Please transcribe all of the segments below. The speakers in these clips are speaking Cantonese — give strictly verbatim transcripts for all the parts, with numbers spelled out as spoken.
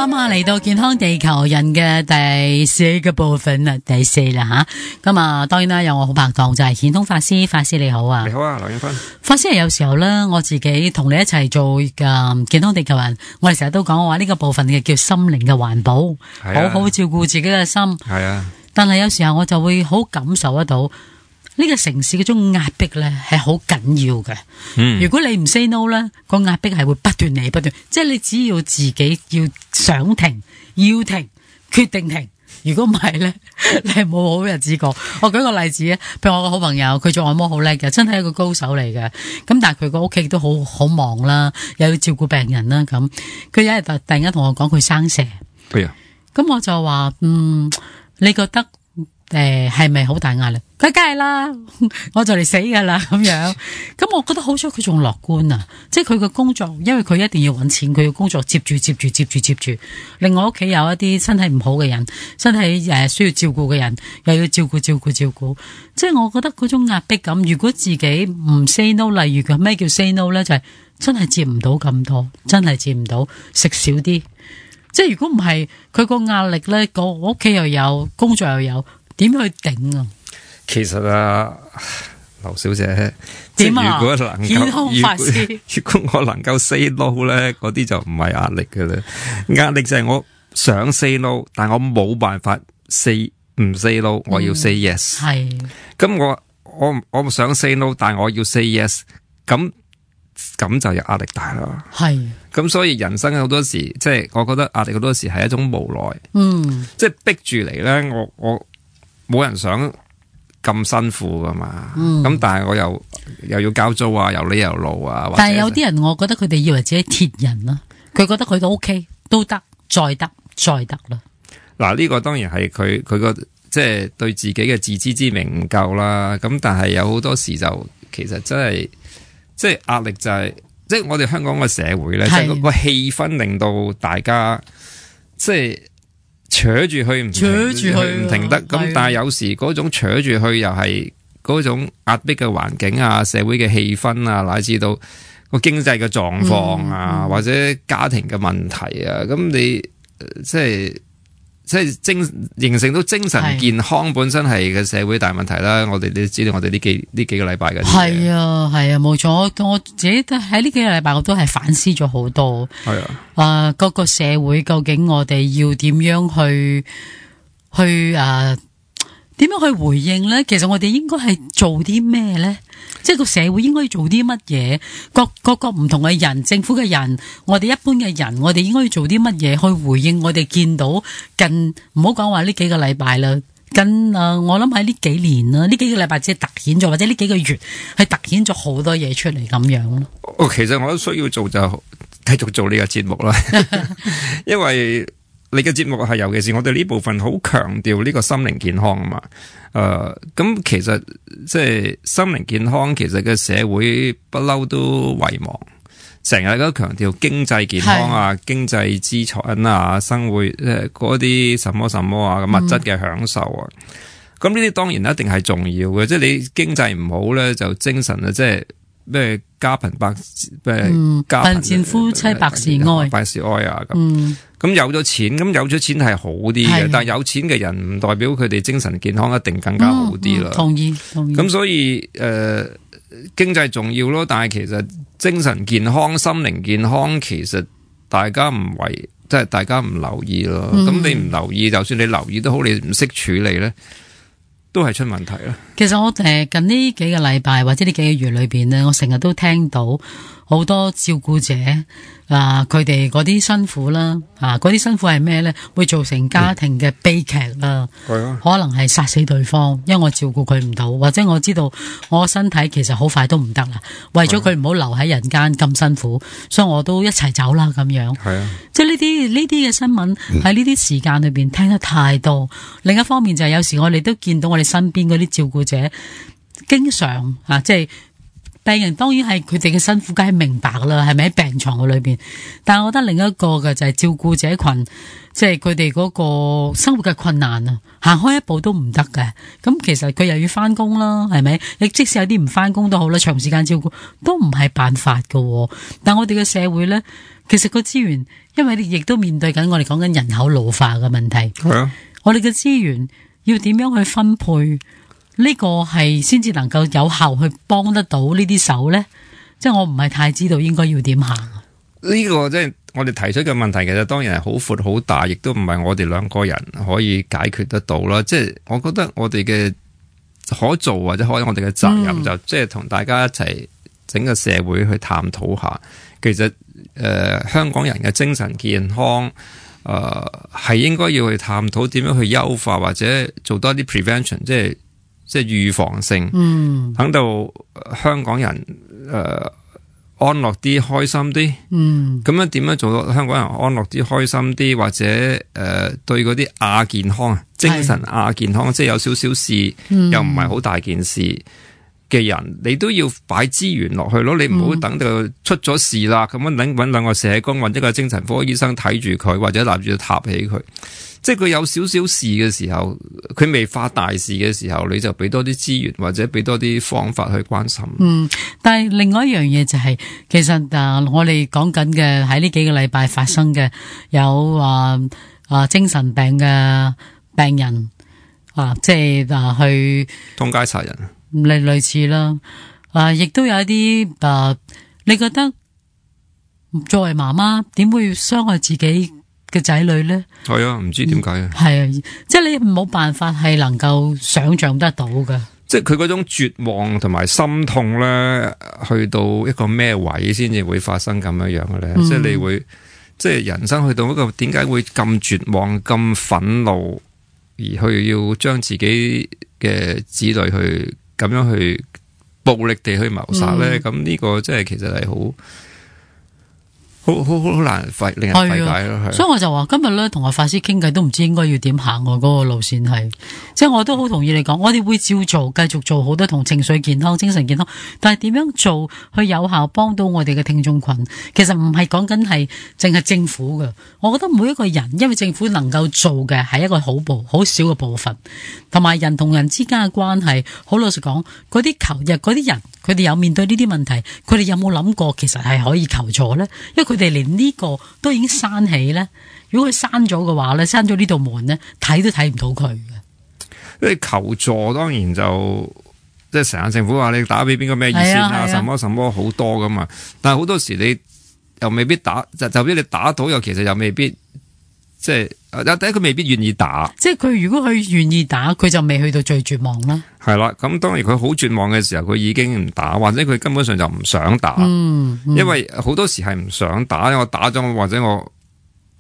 啱啱嚟到健康地球人嘅第四個部分啦，第四啦吓。咁啊，當然啦，有我好拍檔就係顯通法師，法師你好啊。你好啊，劉永芬。法師係有時候咧，我自己同你一齊做嘅健康地球人，我哋成日都講話呢個部分嘅叫心靈嘅環保，好好照顧自己嘅心。係啊。但係有時候我就會好感受得到。呢個城市嗰種壓迫咧係好緊要嘅。嗯，如果你唔 say no 咧，個壓迫係會不斷嚟不斷。即係你只要自己要想停，要停，決定停。如果唔係咧，你係冇好日子過。我舉個例子啊，譬如我個好朋友，佢做按摩好叻嘅，真係一個高手嚟嘅。咁但係佢個屋企都好好忙啦，又要照顧病人啦。咁佢有一日突然間同我講佢生蛇。係啊。咁我就話，嗯，你覺得？誒，係咪好大壓力？佢梗係啦，我就嚟死噶啦咁樣。咁我覺得好彩佢仲樂觀啊，即係佢嘅工作，因為佢一定要搵錢，佢嘅工作接住接住接住接住。另外屋企有一啲身體唔好嘅人，身體誒需要照顧嘅人，又要照顧照顧照顧。即係我覺得嗰種壓迫感，如果自己唔 say no， 例如佢咩叫 say no 咧，就係真係接唔到咁多，真係接唔到，食少啲。即係如果唔係，佢個壓力咧，個屋企又有，工作又有。點去頂啊？其實啊，劉小姐，點啊？如果能夠，健康法師，如果我能夠 say no 咧，嗰啲就唔係壓力嘅啦。壓力就係我想 say no， 但我冇辦法 say 唔 say no， 我要 say yes。係、嗯。咁我我我想 say no， 但我要 say yes， 咁咁就有壓力大啦。係。咁所以人生好多時，即係我覺得壓力好多時係一種無奈。嗯。即係逼住嚟咧，我我。冇人想咁辛苦噶嘛，咁、嗯、但係我又又要交租啊，又呢又路啊。但係有啲人，我覺得佢哋以為自己鐵人啦，佢覺得佢都 OK， 都得，再得，再得啦。嗱，呢個當然係佢佢個即係對自己嘅自知之明唔夠啦。咁但係有好多時就其實真係即係壓力就係、是，即係我哋香港嘅社會咧，即係個氣氛令到大家即係。扯住去唔扯住去唔停得，咁但係有時嗰種扯住去又係嗰種壓迫嘅環境啊，社會嘅氣氛啊，乃至到個經濟嘅狀況啊、嗯嗯，或者家庭嘅問題啊，咁你即係即係精形成到精神健康本身係嘅社會大問題啦。我哋你知道我哋呢幾呢幾個禮拜嘅係啊係啊冇錯，我我自己都喺呢幾個禮拜我都係反思咗好多。係啊，啊、呃、各個社會究竟我哋要點樣去去啊點樣去回應咧？其實我哋應該係做啲咩咧？即係個社會應該要做啲乜嘢？各各個唔同嘅人，政府嘅人，我哋一般嘅人，我哋應該要做啲乜嘢去回應我哋見到近唔好講話呢幾個禮拜啦，近誒、呃、我諗喺呢幾年啦，呢幾個禮拜只係突顯咗，或者呢幾個月係突顯咗好多嘢出嚟咁樣咯。哦，其實我都需要做就繼續做呢個節目啦，因為。你嘅節目係尤其是我哋呢部分好強調呢個心靈健康啊嘛，誒、呃，咁其實即係心靈健康，其實嘅社會不嬲都遺忘，成日都強調經濟健康啊、經濟資產啊、生活誒嗰啲什麼什麼啊、物質嘅享受啊，咁呢啲當然一定係重要嘅，即係你經濟唔好咧，就精神啊，即係。咩家貧百咩家貧賤夫妻百事哀，百事哀啊咁。咁、嗯、有咗錢，咁有咗錢係好啲嘅，但係有錢嘅人唔代表佢哋精神健康一定更加好啲啦、嗯嗯。同意，同意。咁所以誒、呃，經濟重要咯，但係其實精神健康、心靈健康，其實大家唔為，即係大家唔留意咯。咁、嗯、你唔留意，就算你留意都好，你唔識處理咧。都係出問題啦。其實我誒近呢幾個禮拜或者呢幾個月裏邊呢，我成日都聽到好多照顧者啊，佢哋嗰啲辛苦啦，啊嗰啲辛苦係咩呢？會造成家庭嘅悲劇啦，嗯、可能係殺死對方，因為我照顧佢唔到，或者我知道我身體其實好快都唔得啦，為咗佢唔好留喺人間咁辛苦，所以我都一齊走啦咁樣。係啊，即係呢啲呢啲嘅新聞喺呢啲時間裏邊聽得太多。另一方面就係有時我哋都見到我哋身邊嗰啲照顧者經常啊，即係病人當然係佢哋嘅辛苦，梗係明白啦，係咪喺病床嘅裏邊？但係我覺得另一個嘅就係照顧者群，即係佢哋嗰個生活嘅困難啊，行開一步都唔得嘅。咁其實佢又要翻工啦，係咪？你即使有啲唔翻工都好啦，長時間照顧都唔係辦法㗎。但我哋嘅社會咧，其實個資源，因為你亦都面對緊我哋講緊人口老化嘅問題。係啊，我哋嘅資源要點樣去分配？呢個係先至能夠有效去幫得到呢啲手呢？即係我唔係太知道應該要點行。呢個即係我哋提出嘅問題，其實當然係好闊好大，亦都唔係我哋兩個人可以解決得到啦。即係我覺得我哋嘅可做或者可以我哋嘅責任就即係同大家一齊整個社會去探討下，其實誒、呃、香港人嘅精神健康。誒係、呃、應該要去探討點樣去優化，或者做多啲 prevention， 即係即係預防性，嗯，等到香港人誒、呃、安樂啲、開心啲，嗯，咁樣點樣做到香港人安樂啲、開心啲，或者誒、呃、對嗰啲亞健康、精神亞健康，是即係有少少事、嗯、又唔係好大件事嘅人，你都要擺資源落去咯，你唔好等到出咗事啦，咁樣揾揾兩個社工或者個精神科醫生睇住佢，或者立住塔起佢。即係佢有少少事嘅時候，佢未發大事嘅時候，你就俾多啲資源或者俾多啲方法去關心。嗯，但係另外一樣嘢就係、是，其實啊，我哋講緊嘅喺呢幾個禮拜發生嘅有啊啊精神病嘅病人啊，即係啊去通街殺人。類類似啦，啊，亦都有一啲啊，你覺得作為媽媽點會傷害自己嘅仔女咧？係啊，唔知點解啊？係啊，即係你冇辦法係能夠想象得到嘅。即係佢嗰種絕望同埋心痛咧，去到一個咩位先至會發生咁樣樣嘅咧？嗯、即係你會，即係人生去到一個點解會咁絕望、咁憤怒，而去要將自己嘅子女去。咁樣去暴力地去謀殺咧，咁呢、嗯、個即係其實係好好好好難費令人費解咯。所以我就話今日咧同阿法師傾偈都唔知應該要點行嗰個路線係，即係我都好同意你講，我哋會照做，繼續做好多同情緒健康、精神健康，但係點樣做去有效幫到我哋嘅聽眾群，其實唔係講緊係淨係政府嘅。我覺得每一個人，因為政府能夠做嘅係一個好部好少嘅部分，同埋人同人之間嘅關係，好老實講，嗰啲求日嗰啲人，佢哋有面對呢啲問題，佢哋有冇諗過其實係可以求助呢？因為佢哋連呢個都已經閂起咧，如果佢閂咗嘅話咧，閂咗呢道門咧，睇都睇唔到佢嘅。因為求助當然就即係成日政府話你打俾邊個咩熱線啊，啊什麼什麼好多噶嘛，但係好多時你又未必打，就就算你打到，又其實又未必即係第一佢未必願意打。即係佢如果佢願意打，佢就未去到最絕望啦。係啦，咁當然佢好絕望嘅時候，佢已經唔打，或者佢根本上就唔想打。嗯嗯、因為好多時係唔想打，我打咗或者我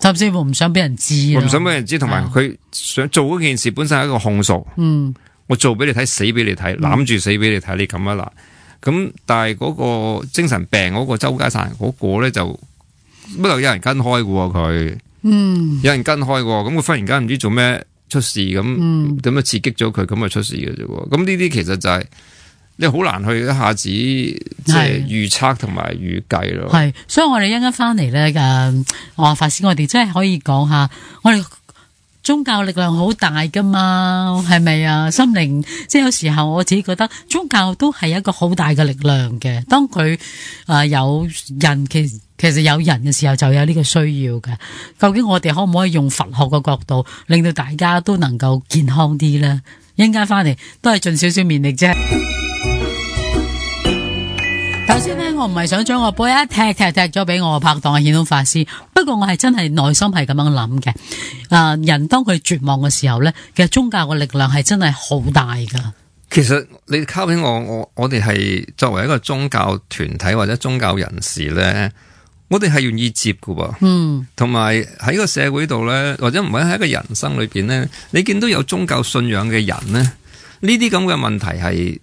甚至乎唔想俾人知，我唔想俾人知，同埋佢想做嗰件事本身係一個控訴。嗯，我做俾你睇，死俾你睇，攬住死俾你睇，你咁啊啦。咁但係嗰個精神病嗰個周街殺人嗰個咧，就不過有人跟開嘅喎佢。嗯，有人跟開嘅，咁佢忽然間唔知做咩出事，咁點樣刺激咗佢，咁咪出事嘅啫。咁呢啲其實就係、是、你好難去一下子即係預測同埋預計咯。係，所以我哋一陣間翻嚟咧，誒，我話法師，我哋真係可以講下，我哋宗教力量好大噶嘛，係咪啊？心靈，即係有時候我自己覺得宗教都係一個好大嘅力量嘅。當佢誒、呃、有人其實。其實有人嘅時候就有呢個需要嘅，究竟我哋可唔可以用佛學嘅角度，令到大家都能夠健康啲呢？一陣間翻嚟都係盡少少勉力啫。頭先呢，我唔係想將個波一踢踢踢咗俾我拍檔阿顯通法師，不過我係真係內心係咁樣諗嘅。啊、呃，人當佢絕望嘅時候呢，其實宗教嘅力量係真係好大噶。其實你交俾我，我我哋係作為一個宗教團體或者宗教人士呢。我哋係願意接㗎喎，嗯，同埋喺個社會度咧，或者唔係喺一個人生裏邊咧，你見到有宗教信仰嘅人咧，呢啲咁嘅問題係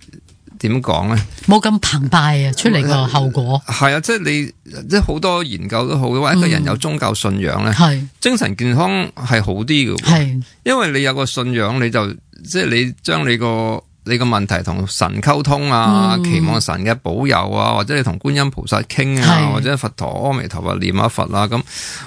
點講咧？冇咁澎湃啊，出嚟個後果係啊，即係你即係好多研究都好，話一個人有宗教信仰咧，係、嗯、精神健康係好啲嘅，係，因為你有個信仰，你就即係你將你個你個問題同神溝通啊，嗯、期望神嘅保佑啊，或者你同觀音菩薩傾啊，或者佛陀阿彌陀佛念下佛啊，咁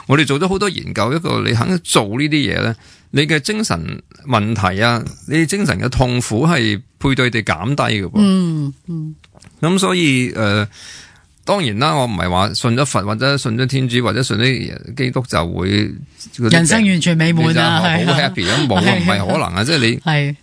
我哋做咗好多研究，一個你肯做呢啲嘢咧，你嘅精神問題啊，你精神嘅痛苦係配對地減低嘅噃。嗯嗯，咁所以誒、呃，當然啦，我唔係話信咗佛或者信咗天主或者信啲基督就會人生完全美滿啊，好 happy 咁，冇啊，唔係可能啊，即係你係。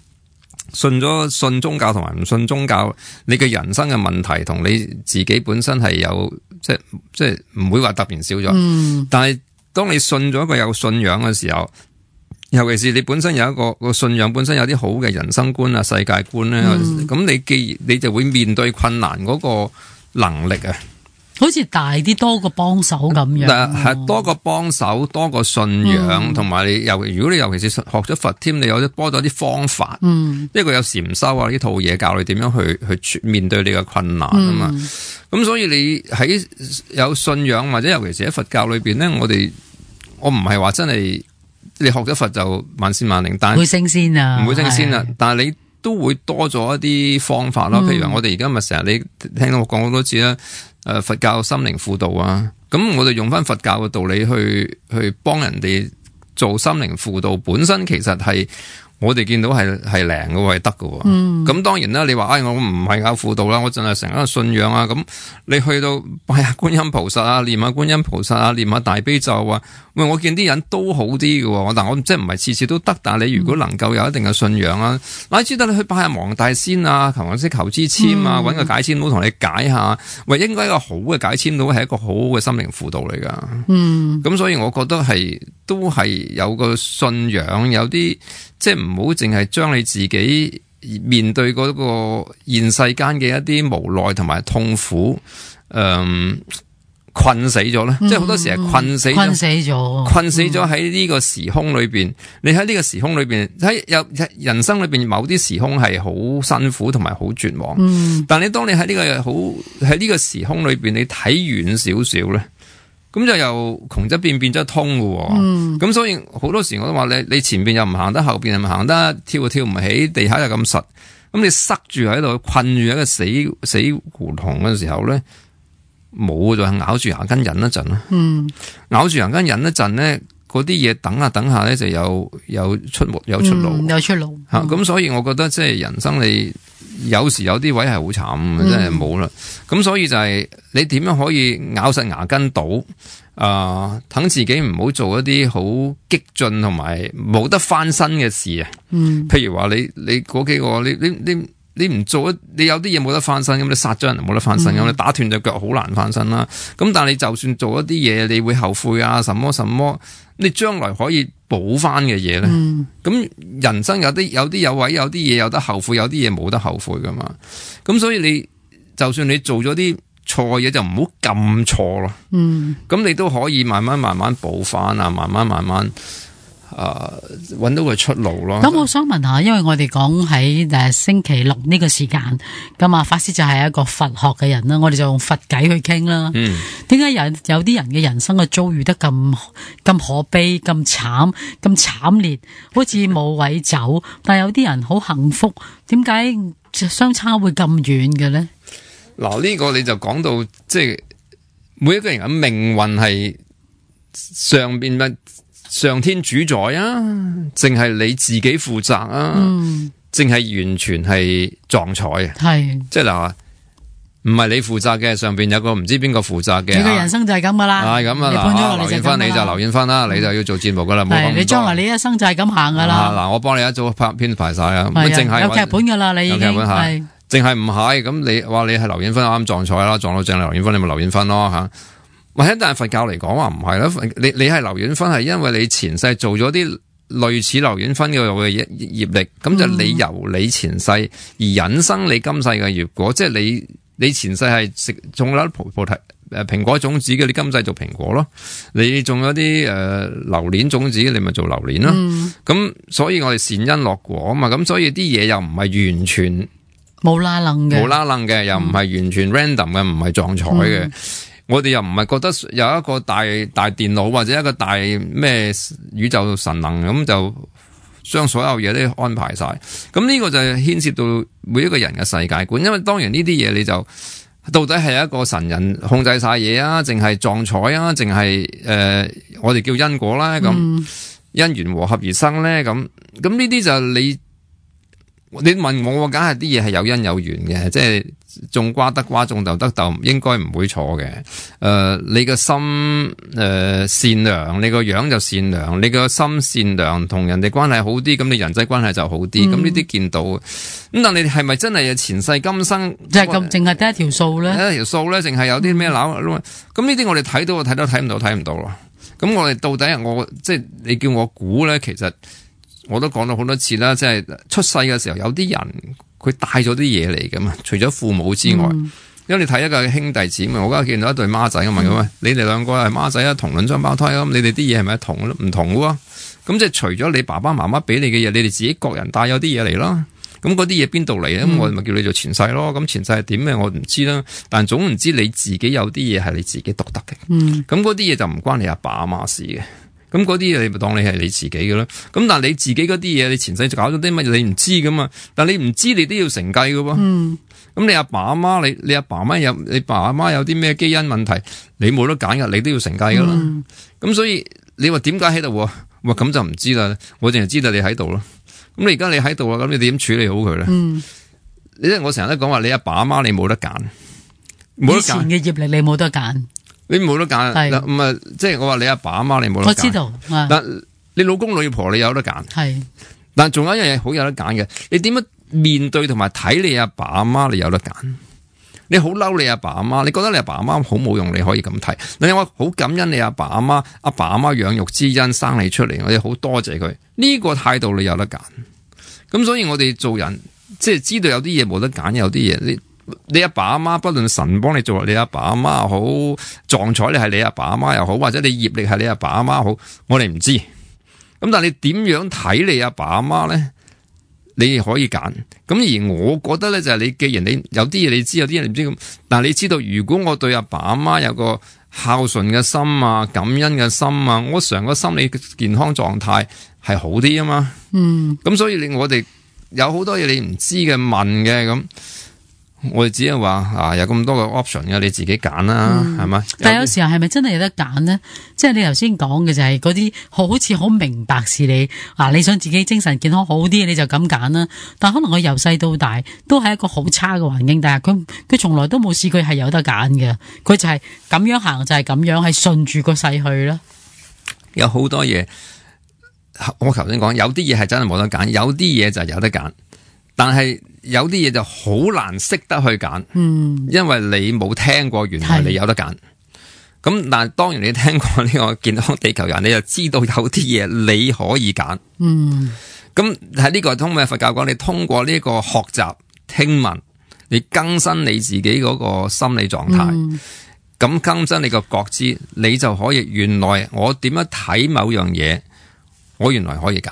信咗信宗教同埋唔信宗教，你嘅人生嘅問題同你自己本身係有即係即係唔會話突然少咗。嗯、但係當你信咗一個有信仰嘅時候，尤其是你本身有一個個信仰本身有啲好嘅人生觀啊、世界觀咧，咁、嗯、你既然你就會面對困難嗰個能力啊。好似大啲多個幫手咁樣，係多個幫手，多個信仰，同埋、嗯、你尤如果你尤其是學咗佛添，你有啲多咗啲方法，嗯，一個有禪修啊呢套嘢教你點樣去去面對你嘅困難啊嘛。咁、嗯、所以你喺有信仰或者尤其是喺佛教裏邊咧，我哋我唔係話真係你學咗佛就萬事萬靈，但係唔會升仙啊，唔會升仙啊，但係你都會多咗一啲方法咯。譬如話我哋而家咪成日你聽到我講好多次啦。誒，佛教心靈輔導啊，咁我哋用翻佛教嘅道理去去幫人哋做心靈輔導，本身其實係我哋見到係係靈嘅喎，係得嘅喎。咁、嗯、當然啦，你話唉、哎，我唔係搞輔導啦，我淨係成一個信仰啊。咁你去到拜下觀音菩薩啊，念下觀音菩薩啊，念下大悲咒啊。喂，我見啲人都好啲嘅喎，但我即係唔係次次都得。但係你如果能夠有一定嘅信仰啊，乃至得你去拜下黃大仙啊，求下啲求支簽啊，揾、嗯、個解簽佬同你解下。喂，應該一個好嘅解簽佬係一個好嘅心靈輔導嚟㗎。嗯，咁所以我覺得係都係有個信仰，有啲即係唔好淨係將你自己面對嗰個現世間嘅一啲無奈同埋痛苦，嗯。困死咗咧，嗯、即係好多時係困死咗，困死咗，困死咗喺呢個時空裏邊。嗯、你喺呢個時空裏邊，喺有人生裏邊某啲時空係好辛苦同埋好絕望。嗯、但你當你喺呢個好喺呢個時空裏邊，你睇遠少少咧，咁就又窮則變，變則通嘅。咁、嗯、所以好多時我都話你，你前邊又唔行得，後邊又唔行得，跳又跳唔起，地下又咁實，咁你塞住喺度，困住喺個死死胡同嘅時候咧。冇就係咬住牙根忍一陣咯，嗯、咬住牙根忍一陣咧，嗰啲嘢等下等下咧就有有出路有出路、嗯、有出路吓，咁、嗯啊、所以我覺得即係人生你有時有啲位係好慘，嗯、真係冇啦。咁所以就係你點樣可以咬實牙根賭啊？等自己唔好做一啲好激進同埋冇得翻身嘅事啊。嗯、譬如話你你嗰幾個你你你。你你唔做一，你有啲嘢冇得翻身，咁你殺咗人冇得翻身，咁、嗯、你打斷隻腳好難翻身啦。咁但係你就算做一啲嘢，你會後悔啊，什麼什麼，你將來可以補翻嘅嘢咧。咁、嗯、人生有啲有啲有位，有啲嘢有得後悔，有啲嘢冇得後悔噶嘛。咁所以你就算你做咗啲錯嘢，就唔好咁錯咯。嗯，咁你都可以慢慢慢慢補翻啊，慢慢慢慢。誒，搵、呃、到個出路咯。咁我想問下，因為我哋講喺誒星期六呢個時間，咁啊法師就係一個佛學嘅人啦，我哋就用佛偈去傾啦。嗯，點解有有啲人嘅人生嘅遭遇得咁咁可悲、咁慘、咁慘烈，好似冇位走，但係有啲人好幸福，點解相差會咁遠嘅咧？嗱，呢個你就講到即係每一個人嘅命運係上邊嘅。上天主宰啊，淨係你自己負責啊，淨係、嗯、完全係撞彩啊，係即係嗱，唔係你負責嘅，上邊有個唔知邊個負責嘅，你嘅人生就係咁噶啦，係咁啊，嗱，劉燕芬你就劉燕芬啦，你就要做節目噶啦，冇咁多，你將來你一生就係咁行噶啦，嗱，我幫你一早拍編排晒啊，咁淨係有劇本噶啦，你已經係，淨係唔係咁你話你係劉燕芬啱撞彩啦，撞到正劉燕芬，你咪劉燕芬咯吓。或者但係佛教嚟講話唔係啦，你你係劉婉芬係因為你前世做咗啲類似劉婉芬嘅嘅業力，咁就你由你前世而引生你今世嘅業果，即係你你前世係食種咗菩菩提誒蘋果種子嘅，你今世做蘋果咯；你種咗啲誒榴蓮種子，你咪做榴蓮咯。咁、嗯、所以我哋善因樂果啊嘛，咁所以啲嘢又唔係完全冇啦楞嘅，冇啦楞嘅，又唔係完全 random 嘅，唔係撞彩嘅。嗯我哋又唔係覺得有一個大大電腦或者一個大咩宇宙神能咁就將所有嘢都安排晒。咁呢個就牽涉到每一個人嘅世界觀，因為當然呢啲嘢你就到底係一個神人控制晒嘢啊，淨係撞彩啊，淨係誒我哋叫因果啦，咁、嗯、因緣和合而生咧，咁咁呢啲就你。你問我，我梗係啲嘢係有因有緣嘅，即係種瓜得瓜，種豆得豆，應該唔會錯嘅。誒、呃，你個心誒、呃、善良，你個樣就善良，你個心善良，同人哋關係好啲，咁你人際關係就好啲。咁呢啲見到，咁但你係咪真係前世今生即係咁，淨係得一條數咧？一條數咧，淨係有啲咩鬧？咁呢啲我哋睇到，睇到睇唔到，睇唔到咯。咁我哋到底我即係你叫我估咧，其實。我都講咗好多次啦，即係出世嘅時候有啲人佢帶咗啲嘢嚟噶嘛，除咗父母之外，嗯、因為你睇一個兄弟姊妹，我今日見到一對孖仔咁問佢喂，你哋兩個係孖仔啊，同卵雙胞胎啊，咁你哋啲嘢係咪同唔同嘅？咁即係除咗你爸爸媽媽俾你嘅嘢，你哋自己各人帶有啲嘢嚟啦。咁嗰啲嘢邊度嚟咧？咁、嗯、我咪叫你做前世咯。咁前世係點嘅我唔知啦，但總唔知你自己有啲嘢係你自己獨特嘅。咁嗰啲嘢就唔關你阿爸阿媽事嘅。咁嗰啲嘢你咪當你係你自己嘅咯，咁但係你自己嗰啲嘢，你前世搞咗啲乜嘢你唔知噶嘛？但係你唔知你都要承繼噶喎。嗯。咁你阿爸阿媽，你你阿爸阿媽有你爸阿媽有啲咩基因問題，你冇得揀噶，你都要承繼噶啦。咁、嗯、所以你話點解喺度？哇，咁就唔知啦。我淨係知道你喺度咯。咁你而家你喺度啦，咁你點處理好佢咧？嗯。你即係我成日都講話，你阿爸阿媽你冇得揀，冇得揀。以前嘅業力你冇得揀。你冇得揀，咁啊，即係我話你阿爸阿媽你冇得揀。我知道，但你老公老婆你有得揀。係，但仲有一樣嘢好有得揀嘅，你點樣面對同埋睇你阿爸阿媽你有得揀。你好嬲你阿爸阿媽，你覺得你阿爸阿媽好冇用，你可以咁睇。你話好感恩你阿爸阿媽，阿爸阿媽養育之恩生你出嚟，我哋好多謝佢。呢個態度你有得揀。咁所以我哋做人即係知道有啲嘢冇得揀，有啲嘢你。你阿爸阿媽不論神幫你做，你阿爸阿媽又好，撞彩你係你阿爸阿媽又好，或者你業力係你阿爸阿媽好，我哋唔知。咁但係你點樣睇你阿爸阿媽咧？你可以揀。咁而我覺得咧就係你，既然你有啲嘢你知，有啲嘢你唔知咁，但係你知道，如果我對阿爸阿媽有個孝順嘅心啊、感恩嘅心啊，我成個心理健康狀態係好啲啊嘛。嗯。咁所以你我哋有好多嘢你唔知嘅問嘅咁。我哋只係話啊，有咁多個 option 嘅，你自己揀啦，係咪、嗯？但係有時候係咪真係有得揀呢？即係你頭先講嘅就係嗰啲好似好明白事理啊，你想自己精神健康好啲，你就咁揀啦。但可能佢由細到大都係一個好差嘅環境，但係佢佢從來都冇試過係有得揀嘅，佢就係咁樣行就係咁樣，係順住個勢去啦。有好多嘢，我頭先講有啲嘢係真係冇得揀，有啲嘢就係有得揀，但係。有啲嘢就好難識得去揀，嗯，因為你冇聽過，原來你有得揀。咁但係當然你聽過呢個健康地球人，你就知道有啲嘢你可以揀。嗯，咁喺呢個通過佛教講，你通過呢個學習聽聞，你更新你自己嗰個心理狀態，咁、嗯、更新你個覺知，你就可以原來我點樣睇某樣嘢，我原來可以揀。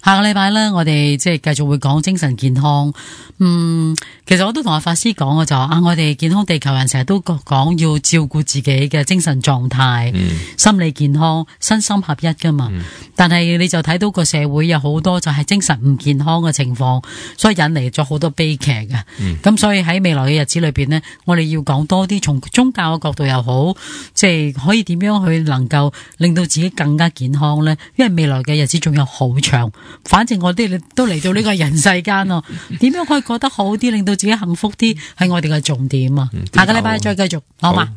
下個禮拜咧，我哋即係繼續會講精神健康。嗯，其實我都同阿法師講嘅就啊，我哋健康地球人成日都講要照顧自己嘅精神狀態、嗯、心理健康、身心合一噶嘛。嗯、但係你就睇到個社會有好多就係精神唔健康嘅情況，所以引嚟咗好多悲劇嘅。咁、嗯、所以喺未來嘅日子裏邊呢，我哋要講多啲從宗教嘅角度又好，即係可以點樣去能夠令到自己更加健康呢？因為未來嘅日子仲有好長。反正我哋都嚟到呢個人世間咯，點樣可以過得好啲，令到自己幸福啲，係我哋嘅重點啊！下個禮拜再繼續，好嘛？好。